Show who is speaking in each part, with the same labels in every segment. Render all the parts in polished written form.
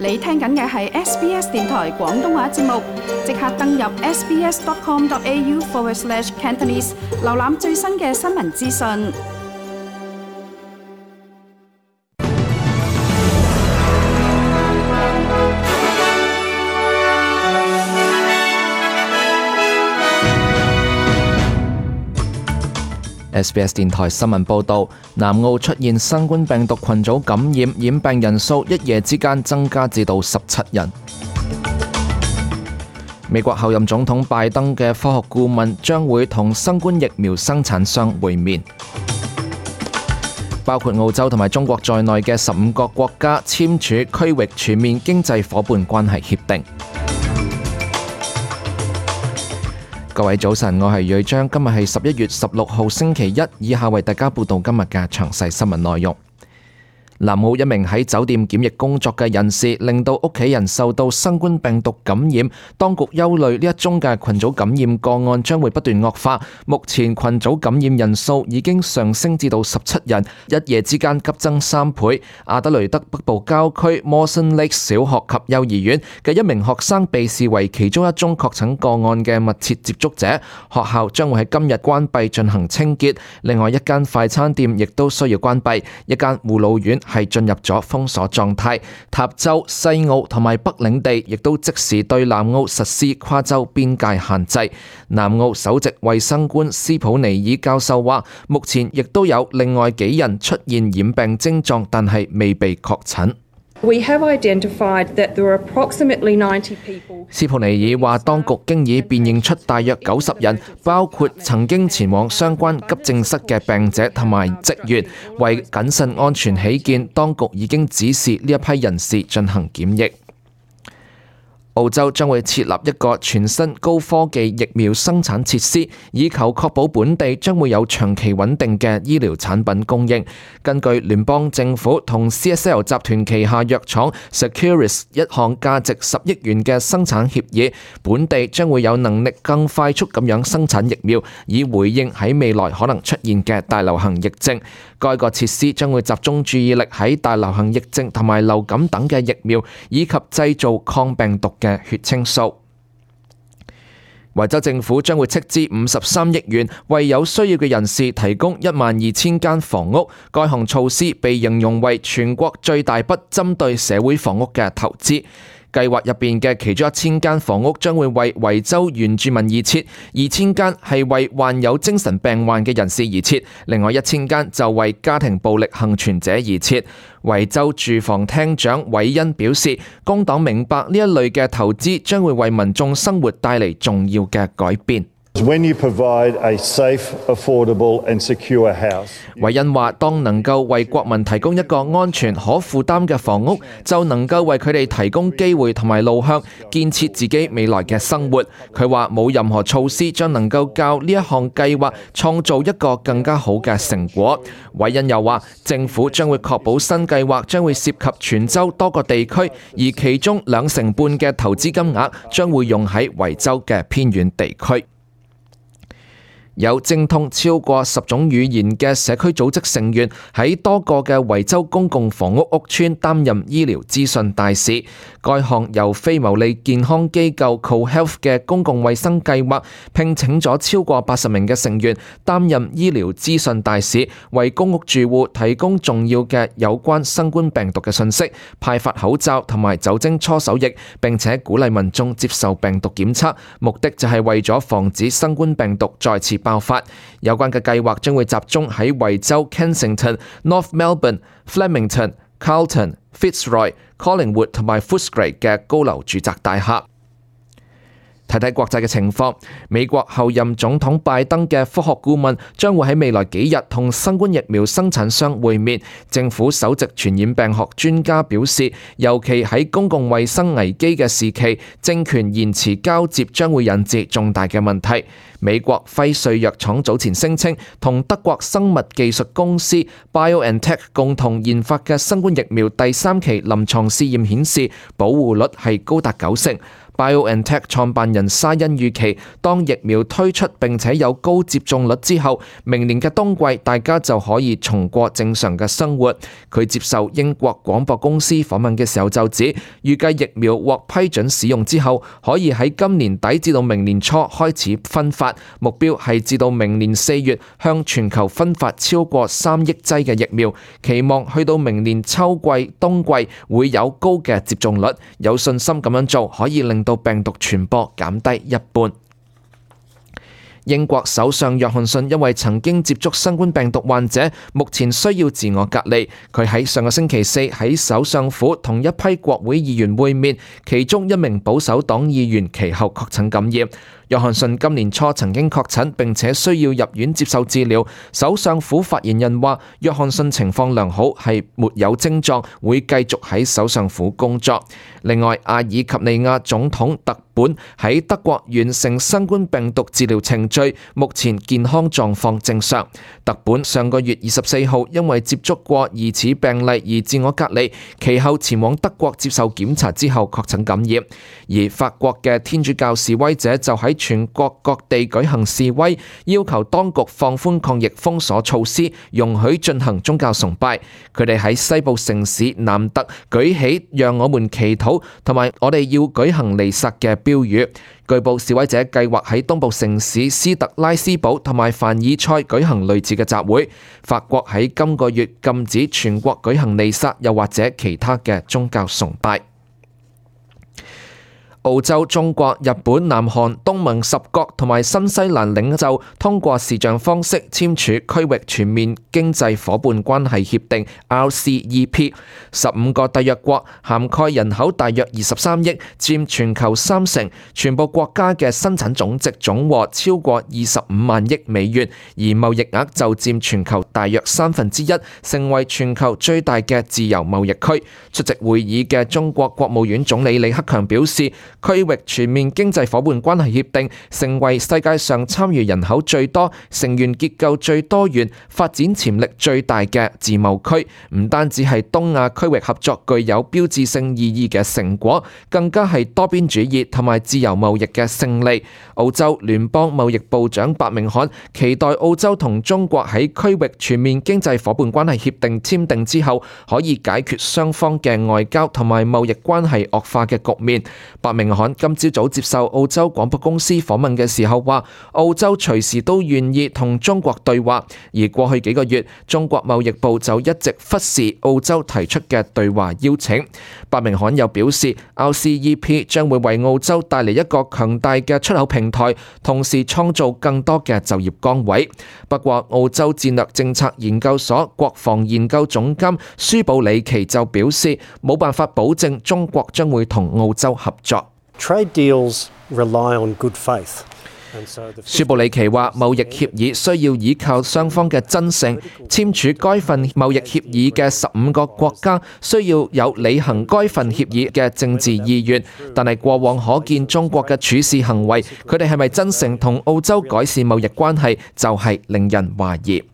Speaker 1: 你聽緊嘅係 SBS 電台廣東話節目，即刻登入 sbs.com.au/Cantonese 瀏覽最新嘅新聞資訊。
Speaker 2: SBS 電台新聞報導，南澳出現新冠病毒群組感染，染病人數一夜之間增加至到17人。美國後任總統拜登嘅科學顧問將會同新冠疫苗生產商會面。包括澳洲同埋中國在內嘅15個國家簽署區域全面經濟夥伴關係協定。各位早晨，我係瑞章，今日係11月16號星期一，以下為大家報道今日嘅詳細新聞內容。南澳一名喺酒店檢疫工作嘅人士，令到屋企人受到新冠病毒感染，當局憂慮呢一宗嘅群組感染個案將會不斷惡化。目前群組感染人數已經上升至到17人，一夜之間急增3倍。阿德雷德北部郊區 Mawson Lake 小學及幼兒園嘅一名學生被視為其中一宗確診個案嘅密切接觸者，學校將會喺今日關閉進行清潔。另外一間快餐店亦都需要關閉，一間護老院係進入咗封鎖狀態。塔州、西澳同埋北領地亦都即時對南澳實施跨州邊界限制。南澳首席衛生官斯普尼爾教授話，目前亦都有另外幾人出現染病症狀，但係未被確診。
Speaker 3: We have identified that there are approximately 90 people.
Speaker 2: 斯普尼爾話，當局經已辨認出大約90人，包括曾經前往相關急症室嘅病者同埋職員。為謹慎安全起見，當局已經指示呢一批人士進行檢疫。澳洲將會設立一個全新高科技疫苗生產設施，以求確保本地將會有長期穩定嘅醫療產品供應。根據聯邦政府同 CSL 集團旗下藥廠 Seqirus 一項價值10億元嘅生產協議，本地將會有能力更快速咁樣生產疫苗，以回應喺未來可能出現嘅大流行疫症。該個設施將會集中注意力喺大流行疫症同埋流感等嘅疫苗，以及製造抗病毒嘅血清素。維州政府將會斥資53億元，為有需要嘅人士提供12000間房屋。該項措施被形容為全國最大筆針對社會房屋嘅投資。計劃入邊嘅其中1000間房屋將會為維州原住民而設，2000間係為患有精神病患嘅人士而設，另外1000間就為家庭暴力幸存者而設。維州住房廳長韋恩表示，工黨明白呢一類嘅投資將會為民眾生活帶嚟重要嘅改變。
Speaker 4: When you provide a safe, affordable and secure house.
Speaker 2: 韋恩話，當能夠為國民提供一個安全可負擔嘅房屋，就能夠為佢哋提供機會同埋路向，建設自己未來嘅生活。佢話冇任何措施將能夠較呢一項計劃創造一個更加好嘅成果。韋恩又話，政府將會確保新計劃將會涉及全州多個地區，而其中2成半嘅投資金額將會用喺維州嘅偏遠地區。有精通超過10種語言嘅社區組織成員喺多個嘅維州公共房屋屋邨擔任醫療資訊大使。該項由非牟利健康機構 CoHealth 嘅公共衛生計劃聘請咗超過80名嘅成員擔任醫療資訊大使，為公屋住戶提供重要嘅有關新冠病毒嘅信息，派發口罩同埋酒精搓手液，並且鼓勵民眾接受病毒檢測，目的就係為咗防止新冠病毒再次爆發。有關嘅計劃將會集中喺維州 Kensington、North Melbourne、Flemington、Carlton、Fitzroy、Collingwood 同埋 Footscray 嘅高樓住宅大廈。睇睇國際嘅情況，美國後任總統拜登嘅科學顧問將會喺未來幾日同新冠疫苗生產商會面。政府首席傳染病學專家表示，尤其喺公共衛生危機嘅時期，政權延遲交接將會引致重大嘅問題。美國輝瑞藥廠早前聲稱，同德國生物技術公司 BioNTech 共同研發嘅新冠疫苗第3期臨床試驗顯示，保護率係高達90%。BioNTech 創辦人沙恩預期，當疫苗推出並且有高接種率之後，明年嘅冬季大家就可以重過正常嘅生活。佢接受英國廣播公司訪問嘅時候就指，預計疫苗獲批准使用之後，可以喺今年底至到明年初開始分發，目標係至到明年4月向全球分發超過3億劑嘅疫苗，期望去到明年秋季、冬季會有高嘅接種率，有信心咁樣做可以令到病毒傳播減低一半。英國首相約翰遜因為曾經接觸新冠病毒患者，目前需要自我隔離。佢喺上個星期四喺首相府同一批國會議員會面，其中一名保守黨議員其後確診感染。約翰遜今年初曾經確診並且需要入院接受治療。首相府發言人話，約翰遜情況良好，係沒有症狀，會繼續喺首相府工作。另外，阿爾及利亞總統特本喺德國完成新冠病毒治療程序，目前健康狀況正常。特本上個月24號因為接觸過疑似病例而自我隔離，其後前往德國接受檢查之後確診感染。而法國嘅天主教示威者就喺全國各地舉行示威，要求當局放寬抗疫封鎖措施，容許進行宗教崇拜。佢哋喺西部城市南特舉起讓我們祈禱同埋我哋要舉行彌撒嘅標語。據報示威者計劃喺東部城市斯特拉斯堡同埋凡爾賽舉行類似嘅集會。法國喺今個月禁止全國舉行彌撒，又或者其他嘅宗教崇拜。澳洲、中國、日本、南韓、東盟10國同埋新西蘭領袖通過視像方式簽署區域全面經濟夥伴關係協定 RCEP。15個締約國涵蓋人口大約23億，佔全球30%，全部國家嘅生產總值總和超過25萬億美元，而貿易額就佔全球大約1/3，成為全球最大嘅自由貿易區。出席會議嘅中國國務院總理李克強表示，區域全面經濟夥伴關係協定成為世界上參與人口最多、成員結構最多元、發展潛力最大嘅自貿區，唔單止係東亞區域合作具有標誌性意義嘅成果，更加係多邊主義同埋自由貿易嘅勝利。澳洲聯邦貿易部長白明漢期待澳洲同中國喺區域全面經濟夥伴關係協定簽訂之後，可以解決雙方嘅外交同埋貿易關係惡化嘅局面。白明漢今朝早接受澳洲廣播公司訪問嘅時候話，澳洲隨時都願意同中國對話，而過去幾個月，中國貿易部就一直忽視澳洲提出嘅對話邀請。白明漢又表示 ，RCEP 將會為澳洲帶嚟一個強大嘅出口平台，同時創造更多嘅就業崗位。不過，澳洲戰略政策研究所國防研究總監舒布里奇就表示，冇辦法保證中國將會同澳洲合作。
Speaker 5: Trade deals rely on good faith.
Speaker 2: 舒布里奇話：貿易協議需要依靠雙方嘅真誠。簽署該份貿易協議嘅15個國家需要有履行該份協議嘅政治意願，但係過往可見中國嘅處事行為，佢哋係咪真誠同澳洲改善貿易關係，就係令人懷疑。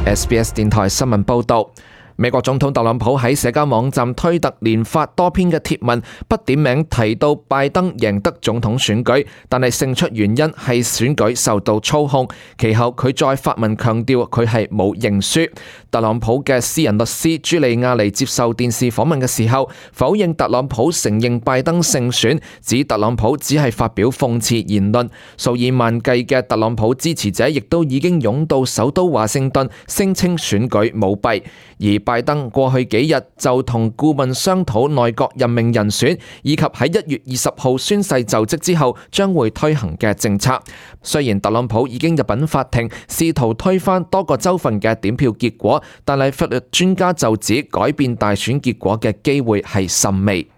Speaker 2: SBS 電台新聞報導。美國總統特朗普喺社交網站推特連發多篇嘅貼文，不點名提到拜登贏得總統選舉，但係勝出原因係選舉受到操控。其後佢再發文強調佢係冇認輸。特朗普嘅私人律師朱利亞尼接受電視訪問嘅時候，否認特朗普承認拜登勝選，指特朗普只係發表諷刺言論。數以萬計嘅特朗普支持者亦都已經湧到首都華盛頓，聲稱選舉舞弊。而拜登過去幾日就同顧問商討內閣任命人選，以及喺1月20號宣誓就職之後將會推行嘅政策。雖然特朗普已經入稟法庭，試圖推翻多個州份嘅點票結果，但係法律專家就指改變大選結果嘅機會係甚微。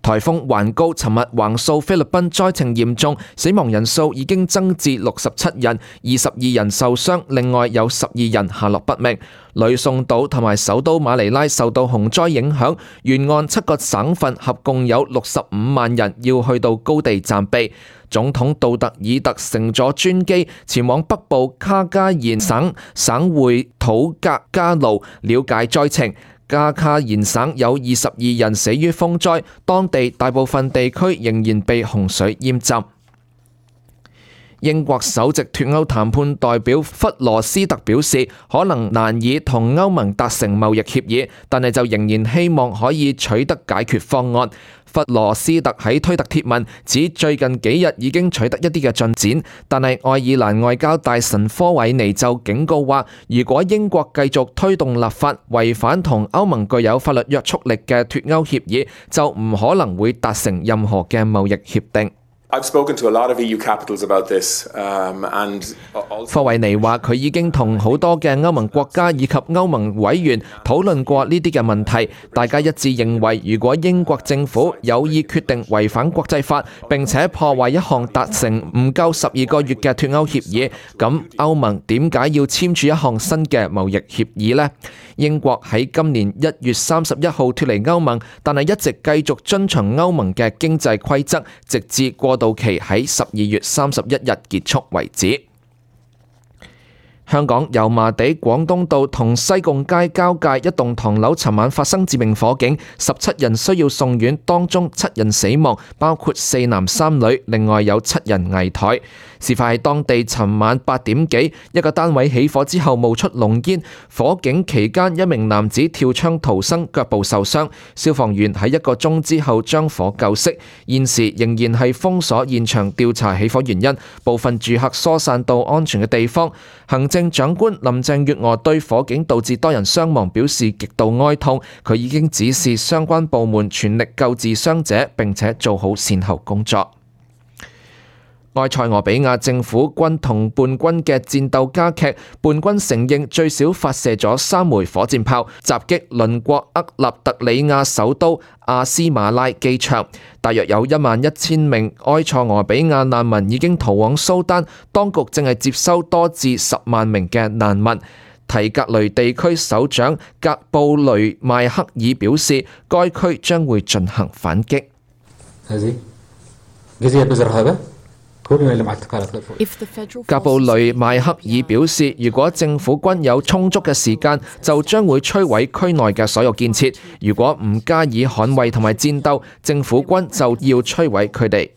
Speaker 2: 颱風環高尋日橫掃菲律賓，災情嚴重，死亡人數已經增至67人，22人受傷，另外有12人下落不明。呂宋島同埋首都馬尼拉受到洪災影響，沿岸7個省份合共有65萬人要去到高地暫避。總統杜特爾特乘咗專機前往北部卡加延省省會土格加路了解災情。加卡延省有22人死於風災，當地大部分地區仍然被洪水淹浸。英國首席脫歐談判代表弗羅斯特表示，可能難以同歐盟達成貿易協議，但係就仍然希望可以取得解決方案。弗羅斯特喺推特貼文指，最近幾日已經取得一啲嘅進展，但係愛爾蘭外交大臣科維尼就警告話，如果英國繼續推動立法違反同歐盟具有法律約束力嘅脫歐協議，就唔可能會達成任何嘅貿易協定。
Speaker 6: I've spoken to a lot of EU capitals about this, and
Speaker 2: 科維尼話：佢已經同好多嘅歐盟國家以及歐盟委員討論過呢啲嘅問題，大家一致認為，如果英國政府有意決定違反國際法，並且破壞一項達成唔夠12個月嘅脫歐協議，咁歐盟點解要簽署一項新嘅貿易協議呢？英國喺今年1月31號脫離歐盟，但係一直繼續遵循歐盟嘅經濟規則，直至過渡期喺12月31日結束為止。香港油麻地廣東道同西貢街交界一棟唐樓尋晚發生致命火警，17人需要送院，當中7人死亡，包括4男3女，另外有7人危殆。事發喺當地尋晚8點幾，一個單位起火之後冒出濃煙，火警期間一名男子跳窗逃生，腳部受傷，消防員喺1個鐘之後將火救熄，現時仍然係封鎖現場調查起火原因，部分住客疏散到安全嘅地方。行政長官林鄭月娥對火警導致多人傷亡表示極度哀痛，佢已經指示相關部門全力救治傷者，並且做好善後工作。埃塞俄比亞政府軍同叛軍嘅戰鬥加劇，叛軍承認最少發射咗3枚火箭炮，襲擊鄰國厄立特里亞首都阿斯馬拉機場。大約有11000名埃塞俄比亞難民已經逃往蘇丹，當局正係接收多至10萬名嘅難民。提格雷地區首長格布雷邁克爾表示，該區將會進行反擊。格布雷邁克爾表示，如果政府軍有充足嘅時間，就將會摧毀區內嘅所有建設；如果唔加以捍衛同埋戰鬥，政府軍就要摧毀佢哋。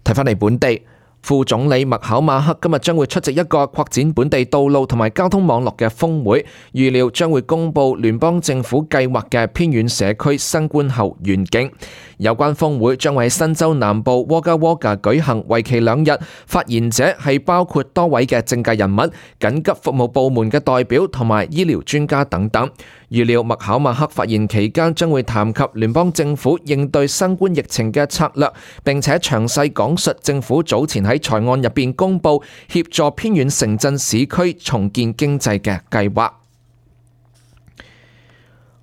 Speaker 2: 睇返嚟本地，副總理麥考馬克今日將會出席一個擴展本地道路同埋交通網絡嘅峰會，預料將會公布聯邦政府計劃嘅偏遠社區新冠後願景。有關峰會將會喺新州南部沃加沃加舉行，為期2日。發言者係包括多位嘅政界人物、緊急服務部門嘅代表同埋醫療專家等等。預料麥考馬克發言期間將會談及聯邦政府應對新冠疫情嘅策略，並且詳細講述政府早前喺財案入邊公布協助偏遠城鎮市區重建經濟嘅計劃。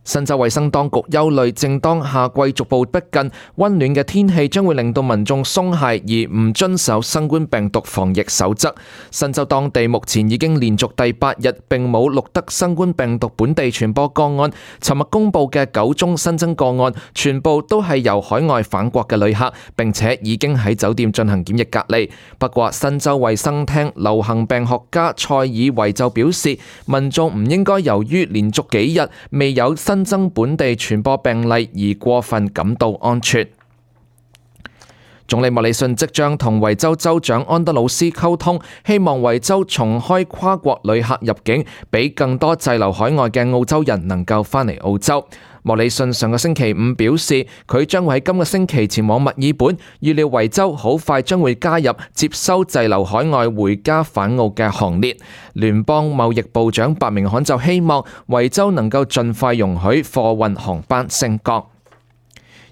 Speaker 2: 新州衛生當局憂慮，正當夏季逐步逼近，溫暖嘅天氣將會令到民眾鬆懈而唔遵守新冠病毒防疫守則。新州當地目前已經連續第8日並冇錄得新冠病毒本地傳播個案。尋日公布嘅9宗新增個案，全部都係由海外返國嘅旅客，並且已經喺酒店進行檢疫隔離。不過，新州衛生廳流行病學家塞爾維就表示，民眾唔應該由於連續幾日未有新增本地傳播病例而過分感到安全。總理莫里遜即將同維州州長安德魯斯溝通，希望維州重開跨國旅客入境，俾更多滯留海外嘅澳洲人能夠返嚟澳洲。莫里遜上個星期5表示，佢將會喺今個星期前往墨爾本，預料維州好快將會加入接收滯留海外回家返澳嘅行列。聯邦貿易部長白明罕就希望維州能夠盡快容許貨運航班升降。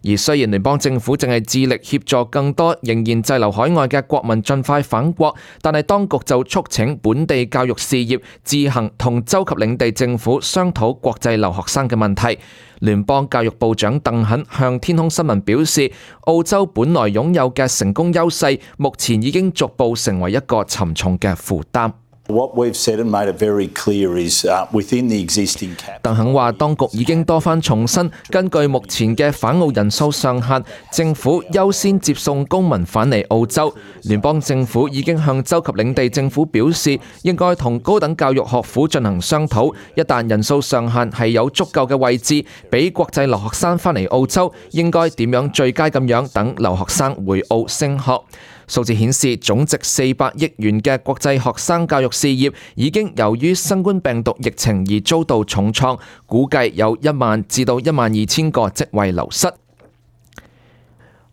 Speaker 2: 而雖然聯邦政府正係致力協助更多仍然滯留海外嘅國民盡快返國，但係當局就促請本地教育事業自行同州及領地政府商討國際留學生嘅問題。聯邦教育部長鄧肯向天空新聞表示，澳洲本來擁有嘅成功優勢，目前已經逐步成為一個沉重嘅負擔。
Speaker 7: What we've said and made it very clear is within the existing cap.
Speaker 2: 鄧肯話，當局已經多番重申，根據目前嘅返澳人數上限，政府優先接送公民返嚟澳洲。聯邦政府已經向州及領地政府表示，應該同高等教育學府進行商討，一旦人數上限係有足夠嘅位置，俾國際留學生返嚟澳洲，應該點樣最佳咁樣等留學生回澳升學。數字顯示，總值400億元嘅國際學生教育事業已經由於新冠病毒疫情而遭到重創，估計有1萬至到12000個職位流失。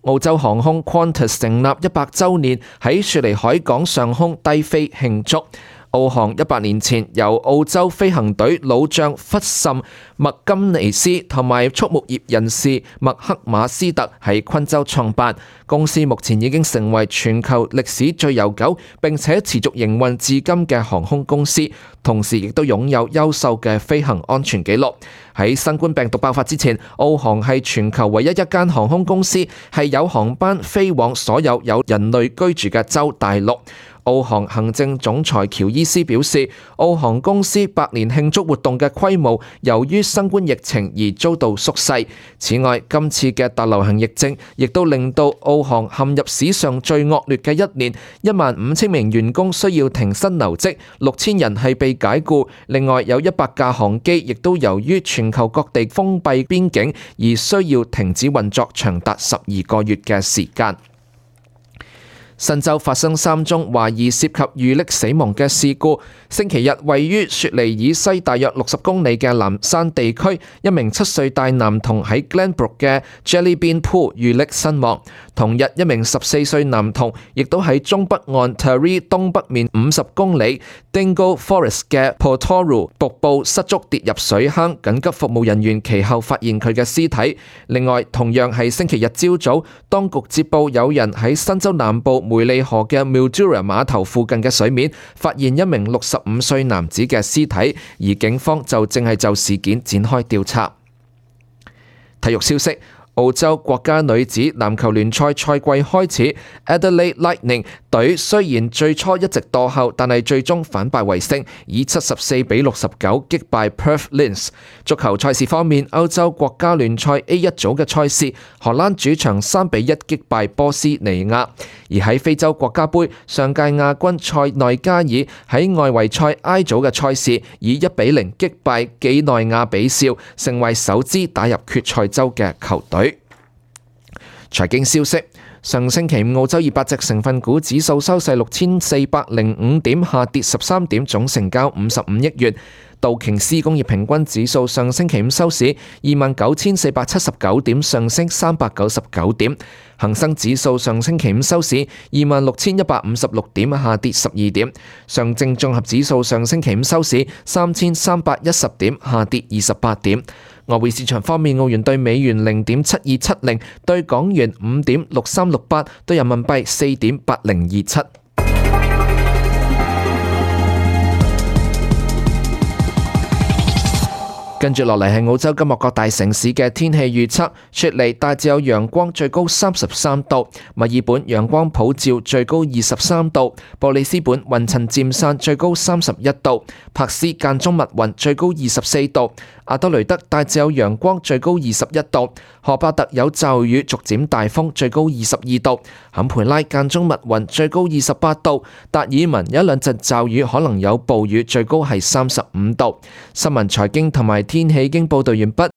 Speaker 2: 澳洲航空 Qantas 成立100週年，喺雪梨海港上空低飛慶祝。澳航100年前由澳洲飛行隊老將弗什麥金尼斯同埋畜牧業人士麥克馬斯特喺昆州創辦，公司目前已經成為全球歷史最悠久並且持續營運至今嘅航空公司，同時亦都擁有優秀嘅飛行安全記錄。喺新冠病毒爆發之前，澳航係全球唯一一間航空公司係有航班飛往所有人類居住嘅洲大陸。澳航行政總裁喬伊斯表示，澳航公司100年慶祝活動嘅規模由於新冠疫情而遭到縮細。此外，今次嘅大流行疫症亦都令到澳航陷入史上最惡劣嘅一年，15000名員工需要停薪留職，6000人係被解僱。另外有100架航機亦都由於全球各地封閉邊境而需要停止運作長達12個月嘅時間。新州發生3宗懷疑涉及遇溺死亡嘅事故。星期日，位於雪梨以西大約60公里嘅南山地區，一名7歲大男童喺 Glenbrook 嘅 Jellybean Pool 遇溺身亡。同日，一名14歲男童亦都喺中北岸 Taree 東北面50公里 Dingle Forest 嘅 Portoru 瀑布失足跌入水坑，緊急服務人員其後發現佢嘅屍體。另外，同樣係星期日朝早，當局接報有人喺新州南部梅利河嘅 Mildura 碼頭附近嘅水面發現一名65歲男子嘅屍體，而警方就正係就事件展開調查。體育消息，澳洲國家女子籃球聯賽賽季開始 ，Adelaide Lightning 隊雖然最初一直墮後，但係最終反敗為勝，以74-69擊敗 Perth Lynx。足球賽事方面，歐洲國家聯賽 A1 組嘅賽事，荷蘭主場3-1擊敗波斯尼亞。而喺非洲國家杯，上屆亞軍塞內加爾喺外圍賽 I 組嘅賽事，以1-0擊敗幾內亞比紹，成為首支打入決賽周嘅球隊。財經消息，上星期五澳洲200隻成分股指數收市6405點，下跌13點，總成交55億元。道瓊斯工業平均指數上星期五收市29479點，上升399點。恒生指數上星期五收市26156點，下跌12點。上證綜合指數上星期五收市3310點，下跌28點。外匯市場方面，澳元對美元0.7270，對港元5.6368，對人民幣4.8027。跟住落嚟係澳洲今日各大城市嘅天氣預測。雪梨大致有陽光，最高33度；墨爾本陽光普照，最高23度；布里斯本雲層漸散，最高31度；柏斯間中密雲，最高24度；阿德雷德大致有陽光，最高21度；荷巴特有驟雨，逐漸大風，最高22度；坎培拉間中密雲，最高28度；達爾文有一兩陣驟雨，可能有暴雨，最高係35度。新聞財經同埋天氣已經報道完畢。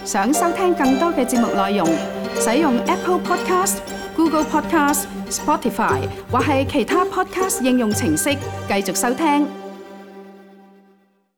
Speaker 1: 想收聽更多嘅節目內容，使用 Apple Podcast、Google Podcast、Spotify 或係其他 Podcast 應用程式繼續收聽。